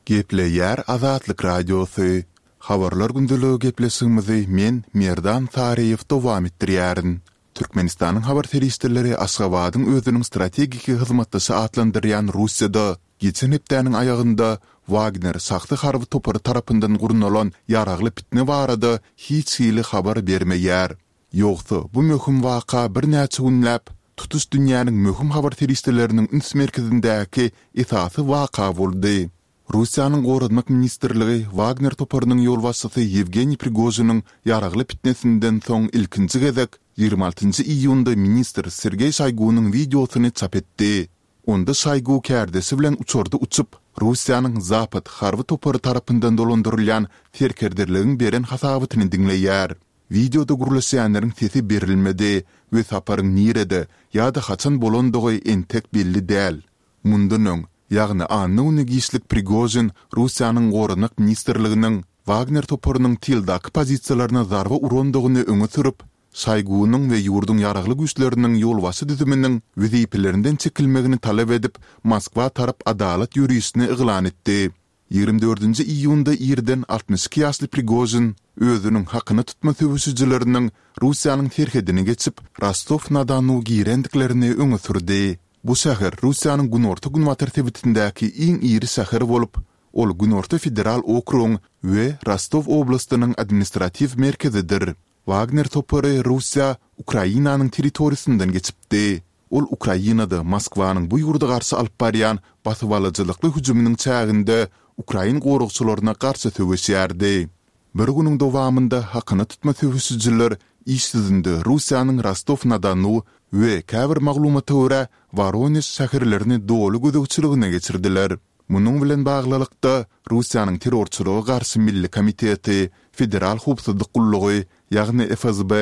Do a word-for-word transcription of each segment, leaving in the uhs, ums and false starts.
Gepleýär Azatlyk Radiosy. Habarlar gündeligi gepleşigimizi men, Merdan Saryýew dowam etdirýärin. Türkmenistanyň habar serişdeleri Aşgabadyň özüniň strategiki hyzmatdaşy atlandyrýan Russiýada geçen hepdäniň aýagynda Wagner şahsy harby topary tarapyndan gurnalan ýaragly pitne barada hiç hili habar bermeýär. Ýogsa, bu möhüm waka birnäçe günläp, tutuş dünýäniň möhüm habar serişdeleriniň üns merkezindäki esasy waka boldy. Russiýanyň Goranmak ministrligi Wagner toparynyň ýolbaşçysy Ýewgeniý Prigožiniň ýaragly pitnesinden soň ilkinji gezek ýigrimi altynjy iýunda ministr Sergeý Şoýgunyň wideosyny çap etdi. Onda Şoýgu kärdeşi bilen uçarda uçup, Russiýanyň Zapad harby topary tarapyndan dolandyrylýan serkerderligiň beren hasabatyny diňleýär. Wideoda gürleşýänleriň sesi berilmedi we saparyň nirede ýa-da haçan bolandygy entek belli däl. Mundan öň, ýagny anna güni giçlik Prigožin Russiýanyň Goranmak ministrliginiň Wagner toparynyň tyldaky pozisiýalaryna zarba urandygyny öňe sürüp, Şoýgunyň we ýurduň ýaragly güýçleriniň ýolbaşçy düzüminiň wezipelerinden çekilmegini talap edip, Moskwa tarap adalat ýörişini yglan etdi. Ýigrimi dördünji iýunda irden altmyş iki ýaşly Prigožin özüniň hakyna tutma söweşijileriniň Russiýanyň serhedini geçip, Rostow-na-Donu girendiklerini öňe sürdi. Bu şäher Russiýanyň günorta-günbatar sebitindäki iň iri şäher bolup, ol Günorta federal okrugyň we Rostow oblastynyň administratiw merkezidir. Wagner topary Russiýa Ukrainanyň territoriýasyndan geçipdi. Ol Ukrainada Moskwanyň bu ýurda garşy alyp barýan basybalyjylykly hüjüminiň çäginde ukrain goragçylaryna garşy söweşýärdi. Bir günüň dowamynda hakyna tutma söweşijiler iş ýüzünde Russiýanyň Rostow-na-Donu we käbir maglumata görä Woronež şäherlerini doly gözegçiligine geçirdiler. Munuň bilen baglylykda, Russiýanyň Terrorçylyga garşy milli komiteti, Federal howpsuzlyk gullugy, ýagny FSB,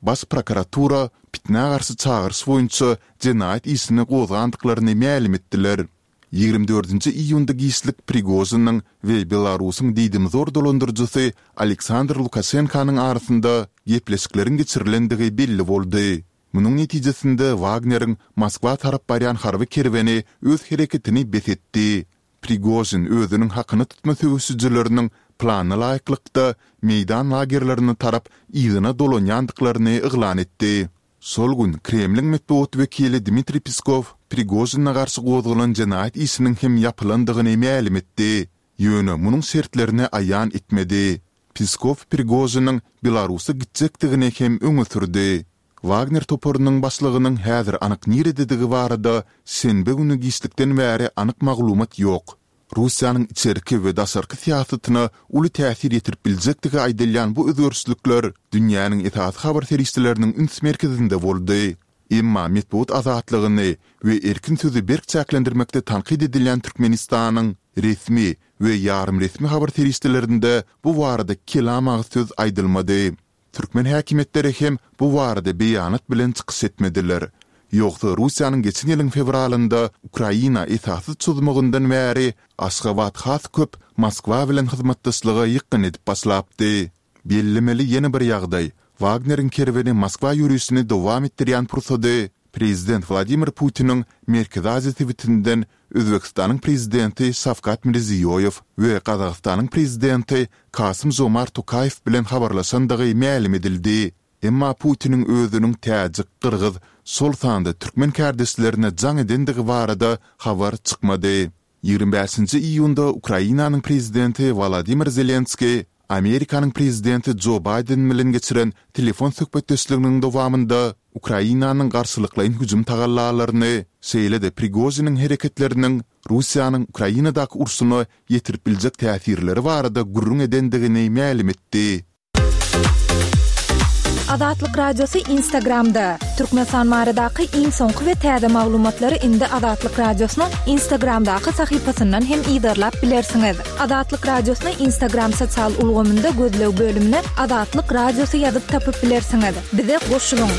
Baş prokuratura pitnä garşy çagyryş boýunça jenaýat işini gozgandyklaryny mälim etdiler. Ýigrimi dördünji iýunda giçlik Prigožiniň we Belarusyň diýdimzor dolandyryjysy Aleksandr Lukaşenkanyň arasynda gepleşikleriň geçirilendigi belli boldy. Munuň netijesinde Wagneriň Moskwa tarap barýan harby kerweni öz hereketini bes etdi. Prigožin özüniň hakyna tutma söweşijileriniň plana laýyklykda meýdan lagerlerine tarap yzyna dolanýandyklaryny yglan etdi. Şol gün Kremliň metbugat wekili Dmitriý Peskow Prigožine garşy gozgalan jenaýat işiniň hem ýapylandygyny mälim etdi. Ýöne munuň şertlerini aýan etmedi. Peskow Prigožiniň Belarusa gitjekdigini hem öňe sürdi. Wagner toparynyň başlygynyň häzir anyk nirededigi barada şenbe güni giçlikden bäri anyk maglumat ýok. Russiýanyň içerki we daşarky syýasatyna uly täsir ýetirip biljekdigi aýdylýan bu özgerişlikler dünýäniň esasy habar serişdeleriniň üns merkezinde boldy. Emma metbugat azatlygyny we erkin sözi berk çäklendirmekde tankyt edilýän Türkmenistanyň resmi we ýarym resmi habar serişdelerinde bu barada kelam agyz söz aýdylmady. Türkmen häkimiýetleri hem bu barada beýanat bilen çykyş etmediler. Ýogsa Russiýanyň geçen ýylyň fewralynda Ukraina esassyz çozmagyndan bäri Aşgabat has köp Moskwa bilen hyzmatdaşlyga ýykgyn edip başlapdy. Bellemeli ýene bir ýagdaý, Wagneriň kerweni Moskwa ýörişini dowam etdirýän pursady prezident Wladimir Putiniň Merkezi Aziýa sebitinden Özbegistanyň prezidenti Şawkat Mirziýoýew we Gazagystanyň prezidenti Kasym-Žomart Tokaýew bilen habarlaşandygy mälim edildi. Emma Putiniň özüniň täjik, gyrgyz, şol sanda türkmen kärdeşlerine jaň edendigi barada habar çykmady. Ýigrimi bäşinji iýunda Ukrainanyň prezidenti Wolodymyr Zelenskiý Amerikanyň prezidenti Jo Baýden bilen geçiren telefon söhbetdeşliginiň dowamynda Ukrainanyň garşylyklaýyn hüjüm tagallalaryny, şeýle-de Prigožiniň hereketleriniň Russiýanyň Ukrainadaky urşuna ýetirip biljek täsirleri barada gürrüň edendigini mälim etdi. Azatlyk Radiosy Instagramda, Türkmenistan baradaky iň soňky we täze maglumatlary indi Azatlyk Radiosynyň Instagramdaky sahypasyndan hem yzarlap bilersiňiz. Azatlyk Radiosyny Instagram sosial ulgamynda gözleg bölümine Azatlyk Radiosy ýazyp tapyp bilersiňiz. Bize goşulyň!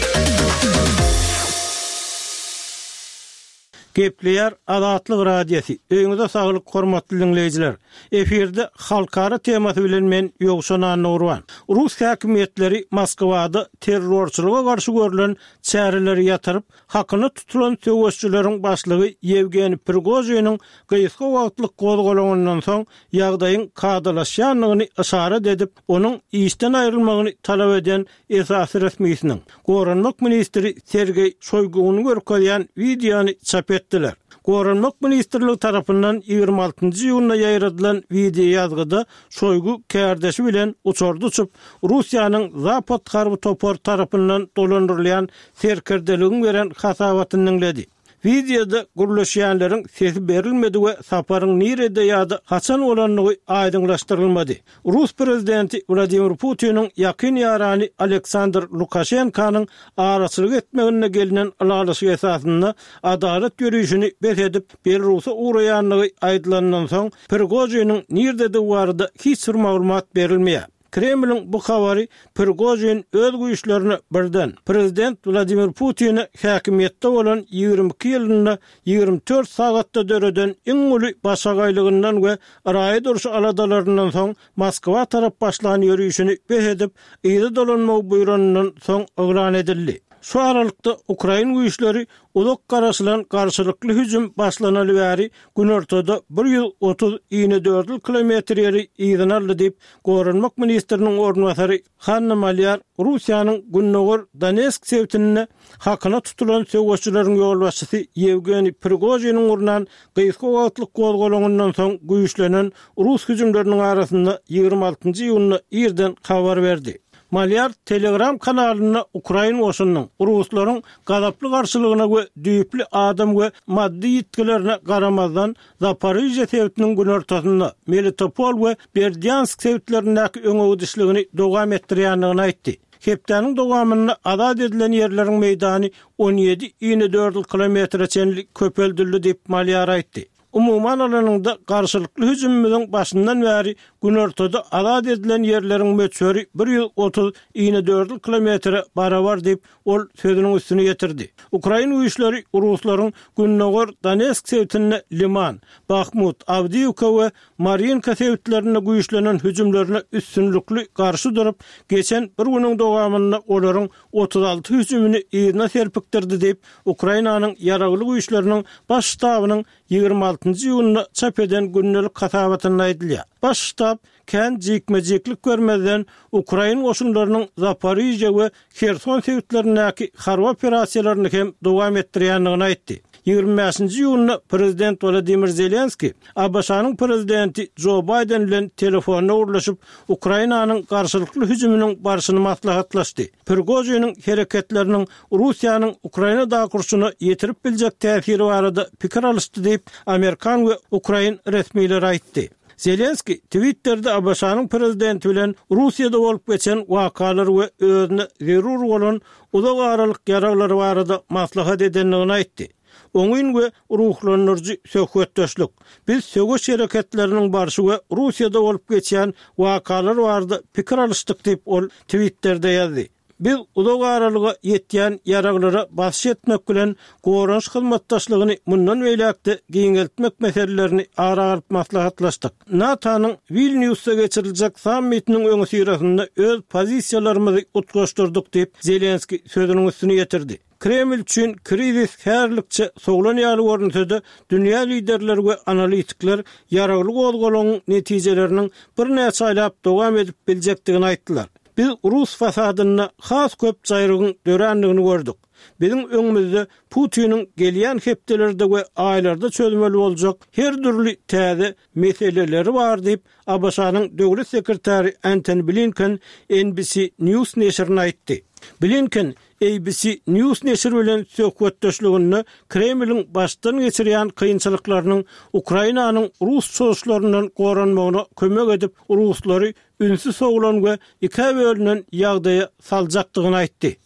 Gepleýär Azatlyk Radiosy. Öýüňize saglyk, hormatly diňleýjiler. Efirde halkara temasy bilen men Ýowşan Annagurban. Rus häkimiýetleri Moskwada terrorçylyga garşy görlen çäreleri ýatyryp, hakyna tutulan söweşçileriň başlygy Ýewgeniý Prigožiniň gysga wagtlyk gozgalaňyndan soň ýagdaýyň kadalaşýandygyny yşarat edip, onuň işden aýrylmagyny talap eden esasy resmisiniň, Goranmak ministri Sergeý Şoýguny görkezýän wideony çap etdiler. Goranmak ministrligi tarapyndan ýigrimi altynjy iýunda ýaýradylan wideoýazgyda Şoýgu kärdeşi bilen uçarda uçup, Russiýanyň Zapad harby topary tarapyndan dolandyrylýan serkerdeligiň beren hasabatyny diňledi. Wideoda gürleşýänleriň sesi berilmedi we saparyň nirede ýa-da haçan bolandygy aýdyňlaşdyrylmady. Rus prezidenti Wladimir Putiniň ýakyn ýarany Aleksandr Lukaşenkanyň araçylyk etmeginde gelnen ylalaşyk esasynda adalat ýörişini bes edip, Belarusa ugraýandygy aýdylandan soň, Prigožiniň nirdedigi barada hiç bir maglumat berilmeýär. Kremliň bu habary Prigožin öz güýçlerine birden, prezident Wladimir Putine häkimiýetde bolan ýigrimi iki ýylynda ýigrimi dört sagatda döreden iň uly başagaýlygyndan we raýat urşy aladalaryndan soň Moskwa tarap başlan ýörişini bes edip, yza dolanmagy buýranyndan soň yglan edildi. Şu aralykda, ukrain güýçleri uzak garaşylan garşylykly hüjüm başlanaly bäri günortada bir ýüz otuz inedördül kilometr ýeri yzyna aldy diýip, Goranmak ministriniň orunbasary Hanna Malýar Russiýanyň gündogar Donetsk sebitinde hakyna tutulan söweşçileriň ýolbaşçysy Ýewgeniý Prigožiniň gurnan gysga wagtlyk gozgalaňyndan soň güýçlenen rus hüjümleriniň arasynda ýigrimi altynjy iýunda irden habar berdi. Malýar Telegram kanalynda ukrain goşunynyň ruslaryň gazaply garşylygyna we düýpli adam we maddy ýitgilerine garamazdan Zaporižýa sebitiniň günortasynda, Melitopol we Berdýansk sebitlerindäki öňegidişligini dowam etdirýändigini aýtdy. Hepdäniň dowamynda azat edilen ýerleriň meýdany on ýedi inedördül kilometre çenli köpeldildi diýip, Malýar aýtdy. Umuman alanyňda, garşylykly hüjümimiziň başyndan bäri günortada azat edilen ýerleriň möçberi bir ýüz otuz inedördül kilometre barabar diýip, ol sözüniň üstüni ýetirdi. Ukrain güýçleri ruslaryň gündogar Donetsk sebitinde Liman, Bahmut, Awdiýewka we Marýinka sebitlerinde güýçlenen hüjümlerine üstünlikli garşy durup, geçen bir günüň dowamynda olaryň otuz alty hüjümini yzyna serpikdirdi diýip, Ukrainanyň Ýaragly Güýçleriniň Baş ştabynyň ýigrimi altynjy iýunda çap eden gündelik hasabatynda aýdylýar. Baş ştab kän jikme-jiklik bermezden, ukrain goşunlarynyň Zaporižýa we Herson sebitlerindäki harby operasiýalaryny hem dowam etdirýändigini aýtdy. Ýigrimi bäşinji iýunda prezident Wolodymyr Zelenskiý ABŞ-nyň prezidenti Jo Baýden bilen telefonda gürleşip, Ukrainanyň garşylykly hüjüminiň barşyny maslahatlaşdy. Prigožiniň hereketleriniň Russiýanyň Ukrainadaky urşuna ýetirip biljek täsiri barada pikir alyşdy diýip, amerikan we ukrain resmileri aýtdy. Zelenskiý Twitterde ABŞ-nyň prezidenti bilen Russiýada bolup geçen wakalar we özüne zerur bolan uzak aralyk ýaraglary barada maslahat edendigini aýtdy. Oňyn we ruhlandyryjy söhbetdeşlik. Biz söweş hereketleriniň barşy we Russiýada bolup geçýän wakalar barada pikir alyşdyk diýip, ol Twitterde ýazdy. Biz uzak aralyga ýetýän ýaraglara basyş etmek bilen goranyş hyzmatdaşlygyny mundan beýläk-de giňeltmek meselelerini ara alyp maslahatlaşdyk. NATO-nyň Wilnýusda geçiriljek sammitiniň öňüsyrasynda öz pozisiýalarymyzy utgaşdyrdyk diýip, Zelenskiý sözüniň üstüni ýetirdi. Kreml üçin krizis häzirlikçe sowlan ýaly görünse-de, dünýä liderleri we analitikler ýaragly gozgalaňyň netijeleriniň birnäçe aýlap dowam edip biljekdigini aýtdylar. Biz rus fasadynda has köp jaýrygyň dörändigini gördük. Biziň öňümizde Putiniň gelýän hepdelerde we aýlarda çözmeli boljak her dürli täze meseleleri bar diýip, ABŞ-nyň döwlet sekretary Antony Blinken N B C News neşirine aýtdy. Blinken A B C News neşiri bilen söhbetdeşliginde Kremliň başdan geçirýän kynçylyklarynyň Ukrainanyň rus çozuşlaryndan goranmagyna kömek edip, ruslary ünsi sowlan we ikä bölünen ýagdaýa saljakdygyny aýtdy.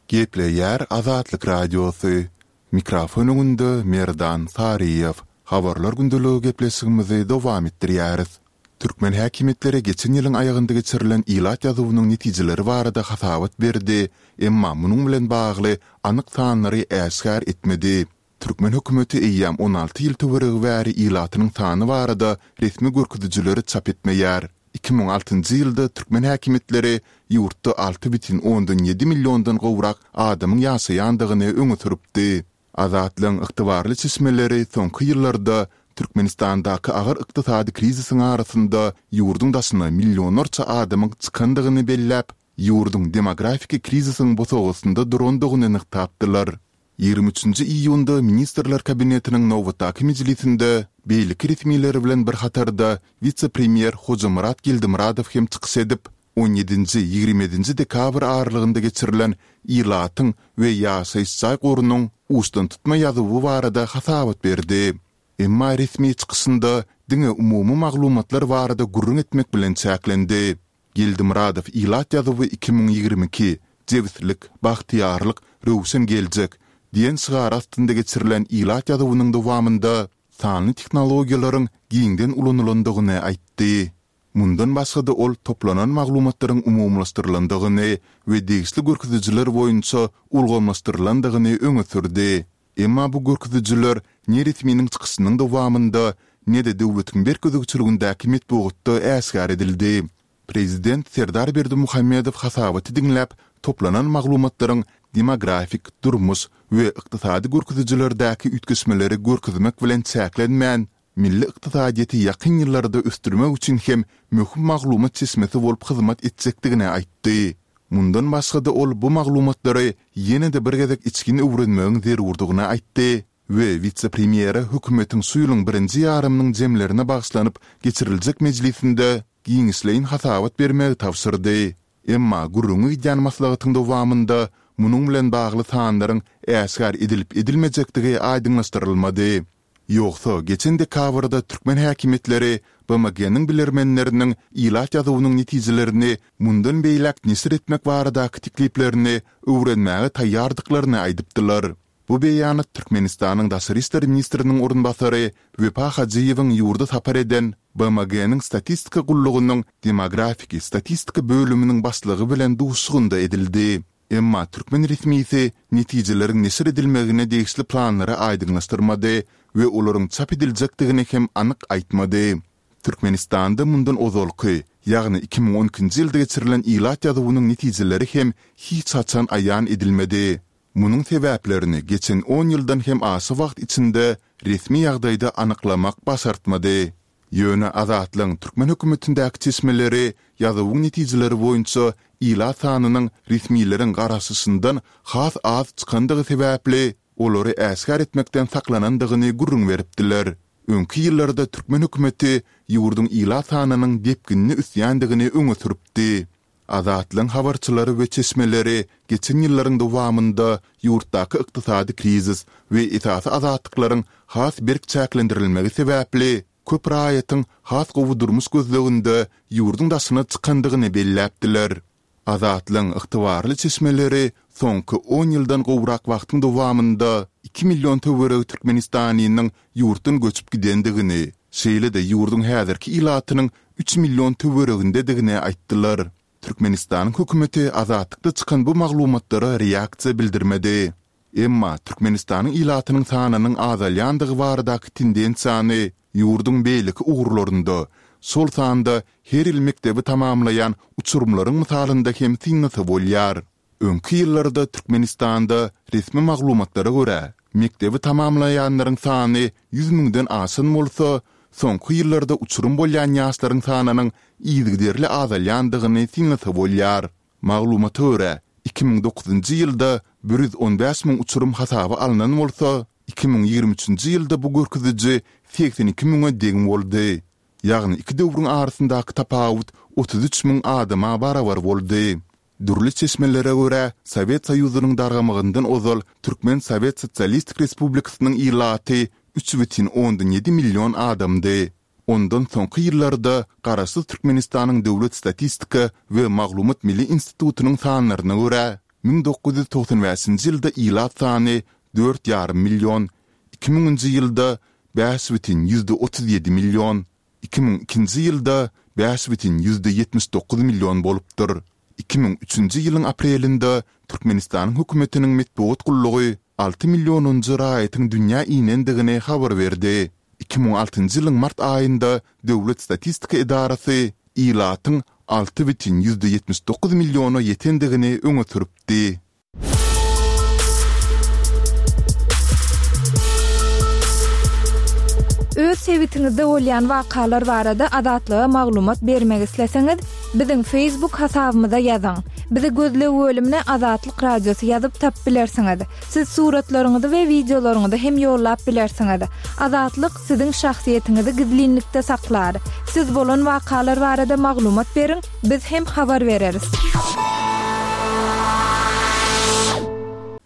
Gepleýär Azatlyk Radiosy. Mikrofon öňünde Merdan Saryýew. Habarlar gündeligi gepleşigimizi dowam etdirýäris. Türkmen häkimiýetleri geçen ýylyň aýagynda geçirilen ilat ýazuwynyň netijeleri barada hasabat berdi, emma munuň bilen bagly anyk sanlary äşgär etmedi. Türkmen hökümeti eýýäm on alty ýyl töweregi bäri ilatynyň sany barada resmi görkezijileri çap etmeýär. Iki müň altynjy ýylda türkmen häkimiýetleri ýurtda alty bütin ondan ýedi milliondan gowrak adamyň ýaşaýandygyny öňe sürüpdi. Azatlygyň ygtybarly çeşmeleri soňky ýyllarda Türkmenistandaky agyr ykdysady krizisiň arasynda ýurduň daşyna millionlarça adamyň çykandygyny belläp, ýurduň demografiki krizisiň bosagasynda durandygyny nygtapdylar. Ýigrimi üçünji iýunda Ministrler Kabinetiniň nobatdaky mejlisinde beýleki resmiler bilen bir hatarda wise-premýer Hojamyrat Geldimyradow hem çykyş edip, on ýedinji, ýigrimi ýedinji dekabr aralygynda geçirilen ilatyň we ýaşaýyş jaý gorunyň uçdantutma ýazuwy barada hasabat berdi. Emma resmi çykyşynda diňe umumy maglumatlar barada gürrüň etmek bilen çäklendi. Geldimyradow ilat ýazuwy iki müň ýigrimi iki, Jebislik, bagtyýarlyk, röwşen geljek diýen şygar astynda geçirilen ilat ýazuwynyň dowamynda sanly tehnologiýalaryň giňden ulanylandygyny aýtdy. Mundan başga-da ol toplanan maglumatlaryň umumylaşdyrylandygyny we degişli görkezijiler boýunça ulgamlaşdyrylandygyny öňe sürdi. Emma bu görkezijiler ne resminiň çykyşynyň dowamynda, ne-de döwletiň berk gözegçiligindäki metbugatda äşgär edildi. Prezident Serdar Berdimuhamedow hasabaty diňläp, toplanan maglumatlaryň demografik, durmuş we ykdysady görkezijilerdäki üýtgeşmeleri görkezmek bilen çäklenmän, milli ykdysadyýeti ýakyn ýyllarda ösdürmek üçin hem möhüm maglumat çeşmesi bolup hyzmat etjekdigini aýtdy. Mundan başga-da ol bu maglumatlary ýene-de bir gezek içgin öwrenmegiň zerurdygyny aýtdy we wise-premýere hökümetiň şu ýylyň birinji ýarymynyň jemlerine bagyşlanyp geçiriljek mejlisinde giňişleýin hasabat bermegi tabşyrdy. Emma gürrüňi gidýän maslahatyň dowamynda munuň bilen bagly sanlaryň äşgär edilip-edilmejekdigi aýdyňlaşdyrylmady. Ýogsa, geçen dekabrda türkmen häkimiýetleri B M G-niň bilermenleriniň ilat ýazuwynyň netijelerini mundan beýläk neşir etmek baradaky tekliplerini öwrenmäge taýýardyklaryny aýdypdylar. Bu beýanat Türkmenistanyň daşary işler ministriniň orunbasary Wepa Hajyýewiň ýurda sapar eden B M G-niň statistika gullugynyň demografiki statistika bölüminiň başlygy bilen duşuşygynda edildi. Emma türkmen resmisi netijeleriň neşir edilmegine degişli planlary aýdyňlaşdyrmady we olaryň çap ediljekdigini hem anyk aýtmady. Türkmenistanda mundan ozalky, ýagny iki müň on ikinji ýylda geçirilen ilat ýazuwynyň netijeleri hem hiç haçan aýan edilmedi. Munuň sebäplerini geçen on ýyldan hem aşa wagt içinde resmi ýagdaýda anyklamak başartmady. Ýöne Azatlygyň türkmen hökümetindäki çeşmeleri ýazuwyň netijeleri boýunça ilat sanynyň resmileriň garaşyşyndan has az çykandygy sebäpli olary äşgär etmekden saklanandygyny gürrüň beripdiler. Öňki ýyllarda türkmen hökümeti ýurduň ilat sanynyň depginli ösýändigini öňe sürüpdi. Azatlygyň habarçylary we çeşmeleri geçen ýyllaryň dowamynda ýurtdaky ykdysady krizis we esasy azatlyklaryň has berk çäklendirilmegi sebäpli köp raýatyň has gowy durmuş gözleginde ýurduň daşyna çykandygyny belläpdiler. Azatlygyň ygtybarly çeşmeleri soňky on ýyldan gowrak wagtyň dowamynda iki million töweregi türkmenistanlynyň ýurtdan göçüp gidendigini, şeýle-de ýurduň häzirki ilatynyň üç million töweregindedigini aýtdylar. Türkmenistanyň hökümeti Azatlykda çykan bu maglumatlara reaksiýa bildirmedi. Emma Türkmenistanyň ilatynyň sanynyň azalýandygy baradaky tendensiýany ýurduň beýleki ugurlarynda, şol sanda her ýyl mekdebi tamamlaýan uçurymlaryň mysalynda hem synlasa bolýar. Öňki ýyllarda Türkmenistanda resmi maglumatlara görä, mekdebi tamamlaýanlaryň sany ýüz müňden aşan bolsa, soňky ýyllarda uçurym bolýan ýaşlaryň sanynyň yzygiderli azalýandygyny synlasa bolýar. Maglumata görä, iki müň dokuzynjy ýylda bir ýüz on bäş müň uçurym hasaba alnan bolsa, iki müň ýigrimi üçünji ýylda bu görkeziji segsen iki müňe deň boldy. Ýagny iki döwrüň arasyndaky tapawut otuz üç müň adama barabar boldy. Dürli çeşmelere görä, Sowet Soýuzynyň dargamagyndan ozal Türkmen Sowet Sosialistik Respublikasynyň ilaty üç bütin ondan ýedi million adamdy. Ondan soňky ýyllarda Garaşsyz Türkmenistanyň Döwlet statistika we maglumat milli institutynyň sanlaryna görä, müň dokuz ýüz togsan bäşinji ýylda ilat sany dört ýarym million, iki müňünji ýylda bäş bütin ýüzde otuz ýedi million, Iki müň ikinji ýylda bäş bütin ýüzde ýetmiş dokuz million bolupdyr. Iki müň üçünji ýylyň aprelinde Türkmenistanyň hökümetiniň metbugat gullugy alty millionynjy raýatyň dünýä inendigini habar berdi. Iki müň altynjy ýylyň mart aýynda Döwlet statistika edarasy ilatyň alty bütin ýüzde ýetmiş dokuz milliona ýetendigini öňe sürüpdi. Öz sebitiňizde bolýan wakalar barada Azatlyga maglumat bermek isleseňiz, biziň Facebook hasabymyza ýazyň. Bizi gözleg bölümine Azatlyk Radiosy ýazyp tapyp bilersiňiz. Siz suratlaryňyzy we wideolaryňyzy hem ýollap bilersiňiz. Azatlyk siziň şahsyýetiňizi gizlinlikde saklar. Siz bolan wakalar barada maglumat beriň, biz hem habar bereris.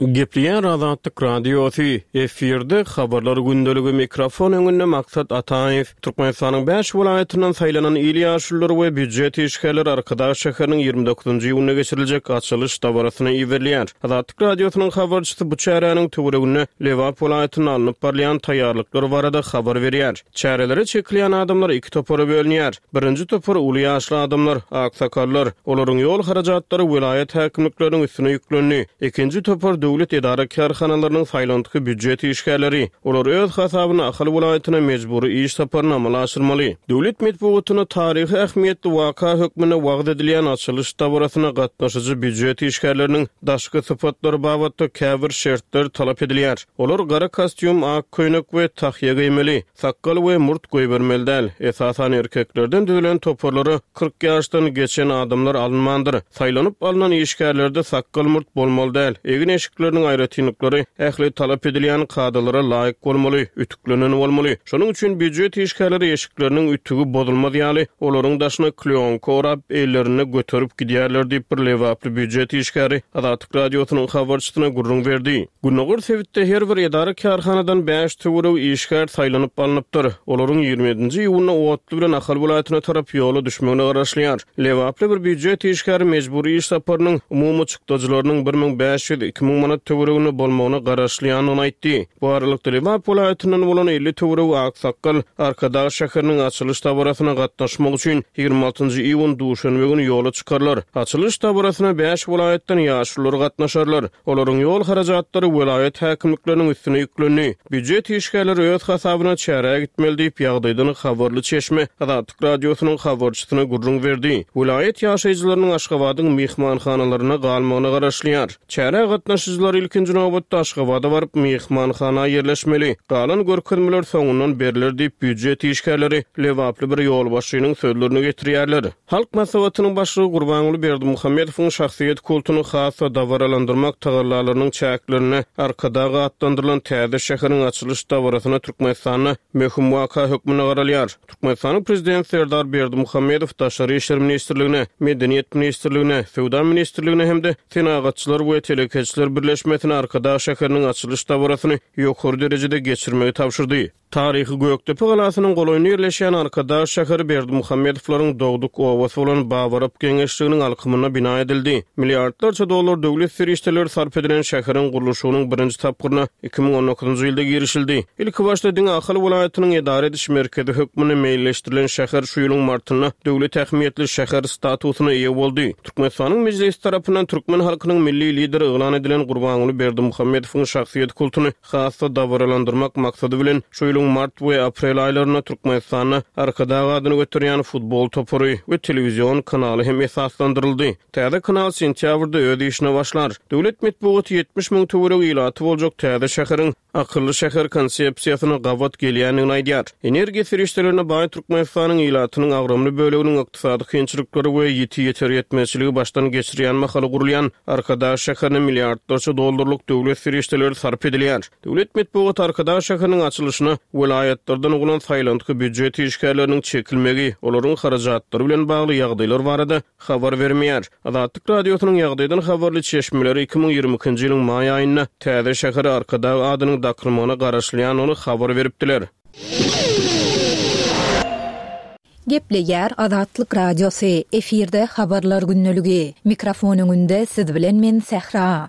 Gepleýär Azatlyk Radiosy, efirde habarlar gündeligi mikrofon öňünde Maksat Ataýew. Türkmenistanyň bäş welaýatyndan saýlanan il ýaşululary we býujet işgärleri Arkadag şäheriniň ýigrimi dokuzynjy iýunda geçiriljek açylyş dabarasyna iberilýär. Azatlyk Radiosynyň habarçysy bu çäräniň töwereginde Lebap welaýatynda alnyp barylýan taýýarlyklar barada habar berýär. Çärelere çekilýän adamlar iki topara bölünýär. Birinji topar uly ýaşly adamlar, aksakallar, olaryň ýol harajatlary welaýat häkimlikleriniň üstüne ýüklendi. Ikinji topar döwlet edara kärhanalarynyň saýlantgy býujet işgärleri. Olar öz hasabyna Ahal welaýatyna mejbury iş saparyny amala aşyrmaly. Döwlet metbugatyna taryhy ähmiýetli waka hökmünde wagyz edilýän açylyş dabarasyna gatnaşyjy býujet işgärleriniň daşky sypatlary babatda käbir şertler talap edilýär. Olar gara kostýum, ak köýnek we tahýa geýmeli, sakgal we murt goýbermeli däl. Esasan erkeklerden düzülen toparlara kyrk ýaşdan geçen adamlar alynmandyr. Saýlanyp alnan işgärlerde sakgal murt bolmaly däl. Egin eşikleriniň aýratynlyklary ähli talap edilýän kadalara laýyk bolmaly, ütüklenen bolmaly. Şonuň üçin býujet işgärleri eşikleriniň ütügi bozulmaz ýaly, olaryň daşyna kleonka orap, ellerinde göterip gidýärler diýip bir lebaply býujet işgäri Azatlyk Radiosynyň habarçysyna gürrüň berdi. Gündogar sebitde her bir edara kärhanadan bäş töweregi işgär saýlanyp alnypdyr. Olaryň ýigrimi ýedinji iýunda otly bilen Ahal welaýatyna tarap ýola düşmegine garaşylýar. Lebaply bir býujet işgäri mejbury iş saparynyň umumy çykdajylarynyň bir müň bäş ýüz iki müň manat töwereginde bolmagyna garaşylýandygyny aýtdy. Bu aralykda Lebap welaýatyndan bolan elli töweregi aksakgal Arkadag şäheriniň açylyş dabarasyna gatnaşmak üçin ýigrimi altynjy iýun duşenbe güni ýola çykarlar. Açylyş dabarasyna bäş welaýatdan ýaşulular gatnaşarlar. Olaryň ýol harajatlary welaýat häkimlikleriniň üstüne ýüklendi. Býujet işgärleri öz hasabyna çärä gitmeli diýip ýagdaýdan habarly çeşme Azatlyk Radiosynyň habarçysyna gürrüň berdi. Welaýat ýaşaýjylarynyň Aşgabadyň myhmanhanalarynda galmagyna garaşylýar. Çärä gatnaşyjylar ilkinji nobatda Aşgabada baryp myhmanhana ýerleşmeli. Galan görkezmeler soňundan berler diýip býujet işgärleri lebaply bir ýolbaşçynyň sözlerini getirýärler. Halk Maslahatynyň başlygy Gurbanguly Berdimuhamedowyň şahsyýet kultuny has-da dabaralandyrmak tagallalarynyň çäklerinde Arkadag atlandyrylan täze şäheriň açylyş dabarasyna Türkmenistanda möhüm waka hökmünde garalýar. Türkmenistanyň Prezidenti Serdar Berdimuhamedow Daşary işler ministrligine, Medeniýet ministrligine, Söwda ministrligine hem-de Senagatçylar we Telekeçiler birleşmesine Arkadag şäheriniň açylyş dabarasyny ýokary derejede geçirmegi tabşyrdy. Taryhy Gökdepe galasynyň golaýynda ýerleşýän Arkadag şäheri Berdimuhamedowlaryň dogduk obasy bolan Babarap geňeşliginiň alkymynda bina edildi. Milliardlarça dollar döwlet serişdeleri sarp edilen şäheriň gurluşygynyň birinji tapgyryna iki müň on dokuzynjy ýylda girişildi. Ilki başda diňe Ahal welaýatynyň edara ediş merkezi hökmünde meýilleşdirilen şäher şu ýylyň martynda döwlet ähmiýetli şäher statusyna eýe boldy. Türkmenistanyň mejlisi tarapyndan türkmen halkynyň milli lideri yglan edilen Gurbanguly Berdimuhamedowyň şahsyýet kultuny has-da dabaralandyrmak maksady bilen şu ýylyň mart we aprel aýlarynda Türkmenistanda Arkadag adyny göterýän futbol topary we telewizion kanaly hem esaslandyryldy. Täze kanal sentýabrda öz işine başlar. Döwlet metbugaty ýetmiş müň töweregi ilaty boljak täze şäheriň akylly şäher konsepsiýasyna gabat gelýändigini aýdýar. Energiýa serişdelerine baý Türkmenistanyň ilatynyň agramly böleginiň ykdysady kynçylyklary we ýiti ýeter ýetmezçiligi başdan geçirýän mahaly gurulýan Arkadag şäherine milliardlarça dollarlyk döwlet serişdeleri sarp edilýär. Döwlet metbugaty Arkadag şäheriniň açylyşyna welaýatlardan bolan saýlantgy býujet işgärleriniň çekilmegi, olaryň harajatlary bilen bagly ýagdaýlar barada habar bermeýär. Azatlyk Radiosynyň ýagdaýdan habarly çeşmeleri iki müň ýigrimi ikinji ýylyň maý aýynda täze şähere Arkadag adynyň dakylmagyna garaşylýandygyny habar beripdiler. Gepleýär Azatlyk Radiosy, efirde habarlar gündeligi. Mikrofon öňünde siz bilen men Sähra.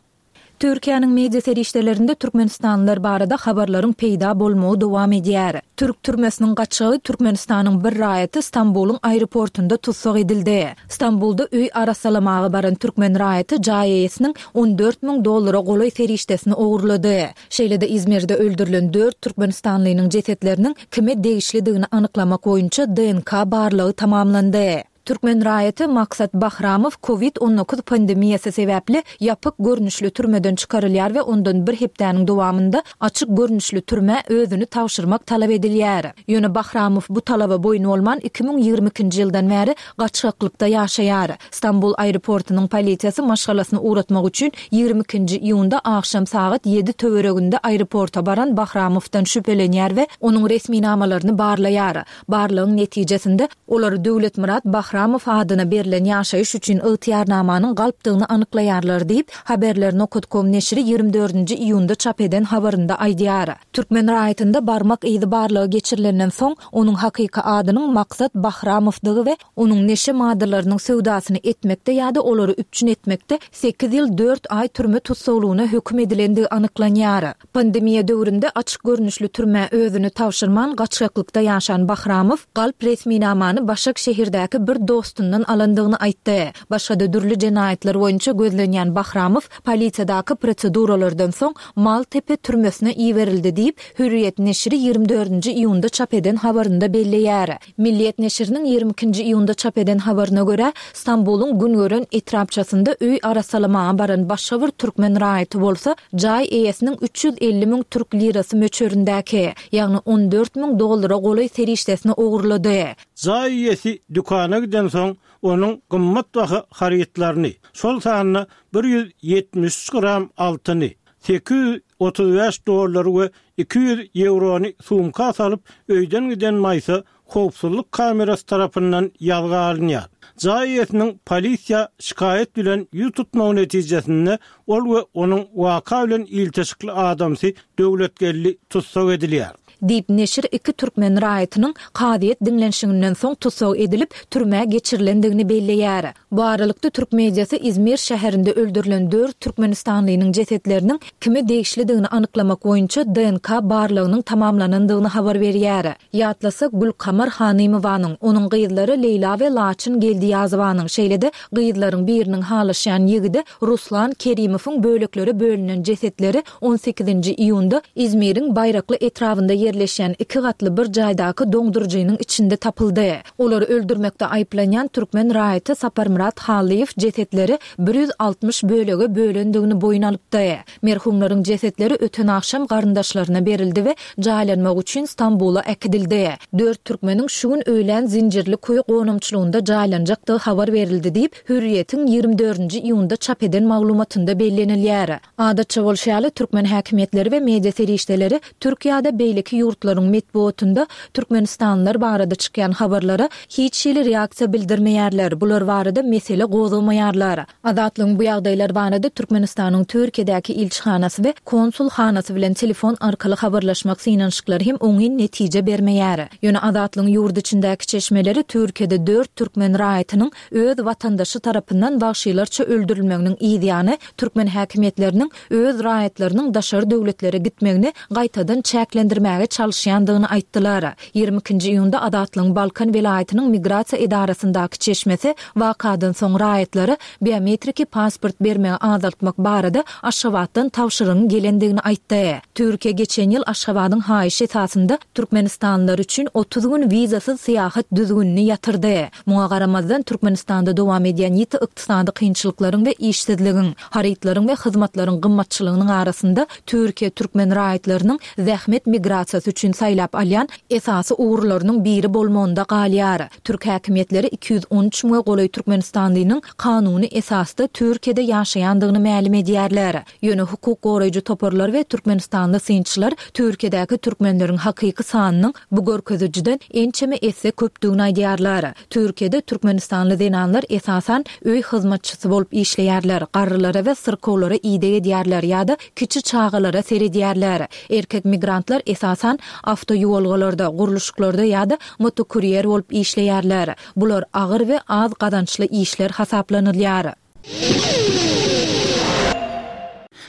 Türkiýäniň media serişdelerinde türkmenistanlylar barada habarlaryň peýda bolmagy dowam edýär. Türk türmesiniň gaçgagy Türkmenistanyň bir raýaty Stambulyň aeroportunda tussag edildi. Stambulda öý arassalamaga baran türkmen raýaty jaý eýesiniň on dört müň dollara golaý serişdesini ogurlady. Şeýle-de Izmirde öldürilen dört türkmenistanlynyň jesetleriniň kime degişlidigini anyklamak boýunça D N K barlagy tamamlandy. Türkmen raýaty Maksat Bahramow COVID on dokuz pandemiýasy sebäpli ýapyk görnüşli türmeden çykarylýar we ondan bir hepdäniň dowamynda açyk görnüşli türmä özüni tabşyrmak talap edilýär. Ýöne Bahramow bu talaba boýun bolman iki müň ýigrimi ikinji ýyldan bäri gaçgaklykda ýaşaýar. Stambul aeroportunyň polisiýasy maşgalasyny ugratmak üçin ýigrimi ikinji iýunda agşam sagat ýedi töwereginde aeroporta baran Bahramowdan şübhelenýär we onuň resminamalaryny barlaýar. Barlagyň netijesinde olar Döwletmyrat Bahramow adyna berlen ýaşaýyş üçin ygtyýarnamanyň galpdygyny anyklaýarlar diýip, Haberler nokta com neşiri ýigrimi dördünji iýunda çap eden habarynda aýdýar. Türkmen raýatynda barmak yzy barlagy geçirilenden soň, onuň hakyky adynyň Maksat Bahramowdygy we onuň neşe maddalarynyň söwdasyny etmekde ýa-da olary üpjün etmekde sekiz ýyl dört aý türme tussaglygyna höküm edilendigi anyklanýar. Pandemiýa döwründe açyk görnüşli türmä özüni tabşyrman gaçgaklykda ýaşan Bahramow galp resminamany Başak şäherdäki bir dostundan alandygyny aýtdy. Başga-da dürli jenaýatlar boýunça gözlenýän Bahramow polisiýadaky proseduralardan soň Maltepe türmesine iberildi diýip, Hürriýet neşiri ýigrimi dördünji iýunda çap eden habarynda belleýär. Milliýet neşiriniň ýigrimi ikinji iýunda çap eden habaryna görä, Stambulyň Güngören etrapçasynda öý arassalamaga baran başga bir türkmen raýaty bolsa, jaý eýesiniň üç ýüz elli müň türk lirasy möçberindäki, ýagny on dört müň dollara golaý serişdesini ogurlady. Jaý eýesi dükana giden soň onuň gymmat baha harytlaryny, şol sanda bir ýüz ýetmiş üç gram altyny, sekiz ýüz otuz bäş dollary we iki ýüz ýewrony sumka salyp öýden giden Maýsa howpsuzlyk kamerasy tarapyndan ýazga alynýar. Jaý eýesiniň polisiýa şikaýat bilen ýüz tutmagy netijesinde ol we onuň waka bilen ilteşikli adamsy Döwletgeldi tussag edilýär. Diýip neşir iki türkmen raýatynyň kazyýet diňlenişiginden soň tussag edilip türmä geçirilendigini belleýär. Bu aralykda türk mediasy Izmir şäherinde öldürilen dört türkmenistanlynyň jesetleriniň kime degişlidigini anyklamak boýunça D N K barlagynyň tamamlanandygyny habar berýär. Ýatlasak Gülkamar Hanymowanyň, onuň gyzlary Leýla we Laçyn Geldiýazowanyň, şeýle-de gyzlaryň biriniň halaşýan ýigidi Ruslan Kerimowyň böleklere bölünen jesetleri on sekizinji iýunda Izmiriň Baýrakly etrabynda ýerleşýän iki gatly bir jaýdaky doňduryjynyň içinde tapyldy. Olary öldürmekde aýyplanýan türkmen raýaty Saparmyrat Hallyýew jesetleri bir ýüz altmyş bölege bölendigini boýun alypdy. Merhumlaryň jesetleri öten agşam garyndaşlaryna berildi we jaýlanmak üçin Stambula äkidildi. Dört türkmeniň şu gün öýlän Zincirli köý gonamçylygynda jaýlanjakdygy habar berildi diýip, Hürriýetiň ýigrimi dördünji iýunda çap eden maglumatynda bellenilýär. Adatça bolşy ýaly türkmen häkimiýetleri we media serişdeleri Türkiýede beýleki ýurtlaryň metbugatynda Türkmenistanlylar barada çykýan habarlara hiç hili reaksiýa bildirmeýärler. Bular barada mesele gozgamaýarlar. Azatlygyň bu ýagdaýlar barada Türkmenistanyň Türkiýedäki ilçihanasy we konsulhanasy bilen telefon arkaly habarlaşmak synanyşyklary hem oňyn netije bermeýär. Ýöne Azatlygyň ýurt içindäki çeşmeleri Türkiýede dört türkmen raýatynyň öz watandaşy tarapyndan wagşylarça öldürilmeginiň ýany türkmen häkimiýetleriniň öz raýatlarynyň daşary döwletlere gitmegini gaýtadan çäklendirmäge çalyşýandygyny aýtdylar. Ýigrimi ikinji iýunda Azatlygyň Balkan welaýatynyň migrasiýa edarasyndaky çeşmesi wakadan soň raýatlara biometriki pasport bermegi azaltmak barada Aşgabatdan tabşyrygyň gelendigini aýtdy. Türkiýe geçen ýyl Aşgabadyň haýyş esasynda Türkmenistanlylar üçin otuz gün wizasyz syýahat düzgünini ýatyrdy. Muňa garamazdan Türkmenistanda dowam edýän ýiti ykdysady kynçylyklaryň we işsizligiň, harytlaryň we hyzmatlaryň gymmatçylygynyň arasynda Türkiýe türkmen raýatlarynyň zähmet migrasiýasy üçin saýlap alýan esasy ugurlarynyň biri bolmagynda galýar. Türk häkimiýetleri iki ýüz on üç müňe golaý Türkmenistanlynyň kanuny esasda Türkiýede ýaşaýandygyny mälim edýärler. Ýöne hukuk goraýjy toparlar we Türkmenistanly synçylar Türkiýedäki türkmenleriň hakyky sanynyň bu görkezijiden ençeme esse köpdügini aýdýarlar. Türkiýede Türkmenistanly zenanlar esasan öý hyzmatçysy bolup işleýärler, garrylara we syrkawlara ideg edýärler ýa-da kiçi çagalara seredýärler. Erkek migrantlar esasan awtoýuwalgalarda, gurluşyklarda ýa-da motokurýer bolup işleýärler. Bular agyr we az gazançly işler hasaplanylýar.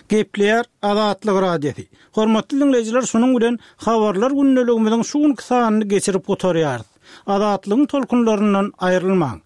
Gepleýär Azatlyk Radiosy. Hormatly diňleýjiler, şunuň bilen Habarlar gündeligimiziň şu günki sanyny geçirip gutarýarys. Azatlygyň tolkunlaryndan aýrylmaň.